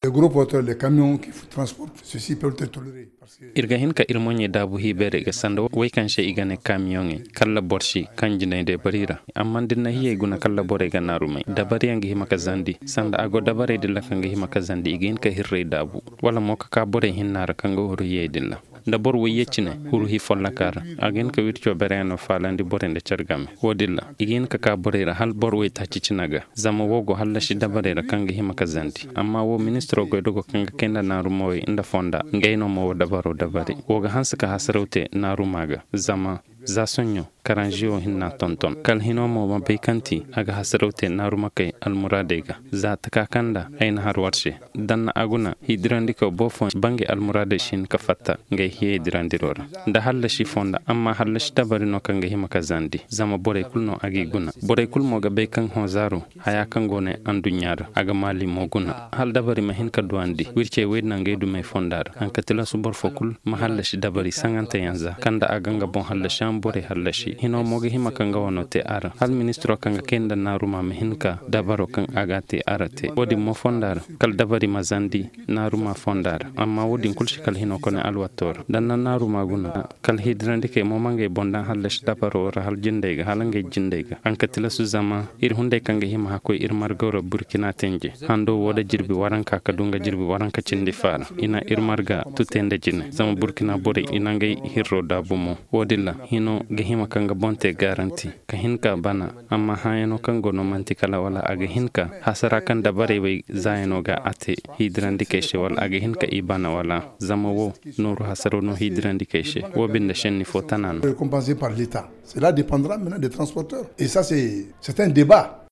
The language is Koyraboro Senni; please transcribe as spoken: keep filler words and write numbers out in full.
Les gros porteurs, les camions qui transportent ceci peuvent être tolérés. Ir ga hin ka ir moɲey daabu hiibeerey ga sanda wey kaŋ se i ga ne kamiyoŋey kalla boro si kaŋ jinay day boro i ra. Amma da ni na hiyey guna kalla borey ga naaru may dabariyaŋ ga hima ka zandi sanda a go dabarey din ra kaŋ ga hima ka zandi i ga hin ka hirrey daabu, wala mo ka ka borey hinna ra kaŋ ga huru hiyey din ra. Da boro wayye cine huru hi folloka ra, a ga hin ka wirco bereyaŋo faalandi borey nda care game. Wo- din ra i ga hin ka ka borey ra hala boro waytaaci cine ga. Zama wo go hallasi dabarey ra kaŋ ga hima ka zandi amma wo ministiro goydogo kaŋ ga kay nda naarumawey nda fonda, ngey no ma wo dabaro dabari wo ga hanse ka hasaraw te naaruma ga. Zama za soɲɲo karanziyo hinna tonton kala hino mo ma bay kaŋ ti a ga hasaraw te naarumakey almuraadey ga. Za taka kaŋ nda ay na har war se, danna a guna hidirandikaw boro fooyaŋ bangey almuraadey si hin ka fatta ngey hiyey dirandiro ra. Nda hallasi fonda amma hallasi dabari no kaŋ ga hima ka zandi zama borey kulu no a g'i guna. Borey kulu mo ga bay kaŋ hõ zaaru haya kaŋ go ne anduɲɲa ra a ga maali mo guna hala dabari ma hin ka duwandi wircey wey nangey dumey fonda ra haŋ ka tilasu boro fo kulu ma hallasi dabari saŋanteyaŋ za kaŋ nda a ga nga boŋ hallasi a ma borey hallasi hino mo ga hima ka nga wano te a ra hala ministiro kaŋ ga kay nda naaruma ma hin ka dabaro kaŋ a ga a te a ra te wo- din mo fonda ra kala dabari ma zandi naaruma fonda ra. Amma wo- din kulu si kala hino kone alwatto ra da na naaruma guna kala hidirandikey mo ma ngey boŋ daŋ hallasi dabaro ra hala jindey ga hala ngey jindey ga haŋ ka tilasu zama ir hunday kaŋ ga hima hakkoy ir margaw ra burkina tenje hando wo da jirbi waranka ka du nga jirbi waranka cindi faara i na ir marga tute nda jine zama burkina borey i na ngey hirro daabu mo. Wo- din ra hino ga hima ka nga boŋ te garanti ka hin ka bana amma hãyano kaŋ go no manti kala wala a ga hin ka hasara kaŋ dabarey wey zaayano ga a te hiidirandikey se wala a ga hin ka i bana wala zama wo nooru hasaro no hiidirandikey se wo binde šenni fo tana no. Récompensé par l'état, cela dépendra maintenant des transporteurs et ça c'est c'est un débat.